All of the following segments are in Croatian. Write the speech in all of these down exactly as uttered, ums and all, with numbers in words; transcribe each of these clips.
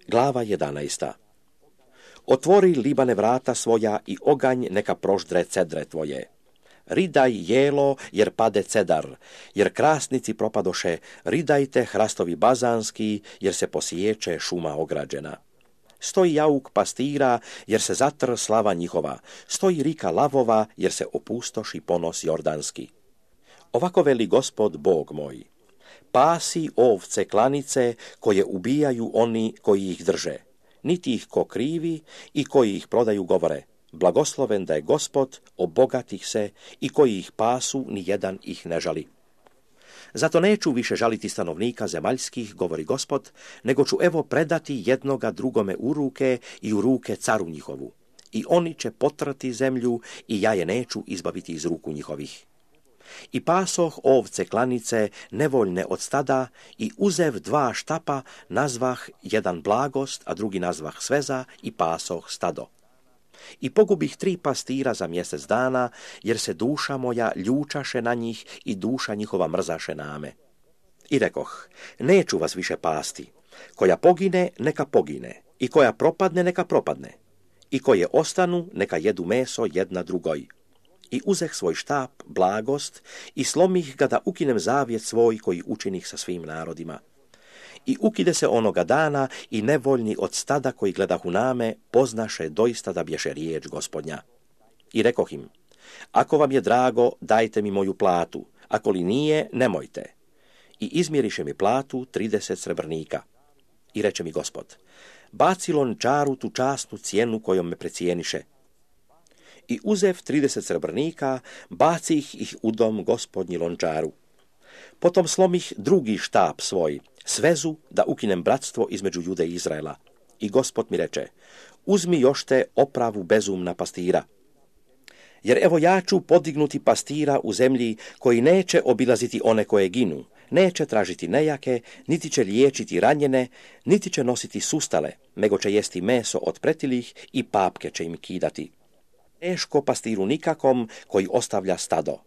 Glava jedanaesta. Otvori, Libane, vrata svoja i oganj neka proždre cedre tvoje. Ridaj jelo, jer pade cedar, jer krasnici propadoše, ridajte hrastovi bazanski, jer se posiječe šuma ograđena. Stoji jauk pastira, jer se zatr slava njihova, stoji rika lavova, jer se opustoši ponos jordanski. Ovako veli Gospod Bog moj, pasi ovce klanice koje ubijaju oni koji ih drže, niti ih ko krivi i koji ih prodaju govore, blagosloven da je Gospod, obogatih se i koji ih pasu, ni jedan ih ne žali. Zato neću više žaliti stanovnika zemaljskih, govori Gospod, nego ću evo predati jednoga drugome u ruke i u ruke caru njihovu. I oni će potrati zemlju i ja je neću izbaviti iz ruku njihovih. I pasoh ovce klanice nevoljne od stada i uzev dva štapa nazvah jedan blagost, a drugi nazvah sveza i pasoh stado. I pogubih tri pastira za mjesec dana, jer se duša moja ljučaše na njih i duša njihova mrzaše na me. I rekoh, neću vas više pasti, koja pogine, neka pogine, i koja propadne, neka propadne, i koje ostanu, neka jedu meso jedna drugoj. I uzeh svoj štap, blagost, i slomih ga da ukinem zavjet svoj koji učinih sa svim narodima. I ukide se onoga dana i nevoljni od stada koji gledahu name poznaše doista da bješe riječ Gospodnja. I rekoh im, ako vam je drago, dajte mi moju platu, ako li nije, nemojte. I izmjeriše mi platu trideset srebrnika. I reče mi Gospod, baci lončaru tu časnu cijenu kojom me precijeniše. I uzev trideset srebrnika, bacih ih u dom Gospodnji lončaru. Potom slomih drugi štap svoj, svezu da ukinem bratstvo između Jude i Izraela. I Gospod mi reče, uzmi još te opravu bezumna pastira. Jer evo ja ću podignuti pastira u zemlji koji neće obilaziti one koje ginu, neće tražiti nejake, niti će liječiti ranjene, niti će nositi sustale, nego će jesti meso od pretilih i papke će im kidati. Teško pastiru nikakom koji ostavlja stado.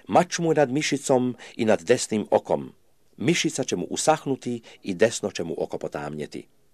Mač mu nad mišicom i nad desnim okom. Mišica će mu usahnuti i desno će mu oko potamnjeti.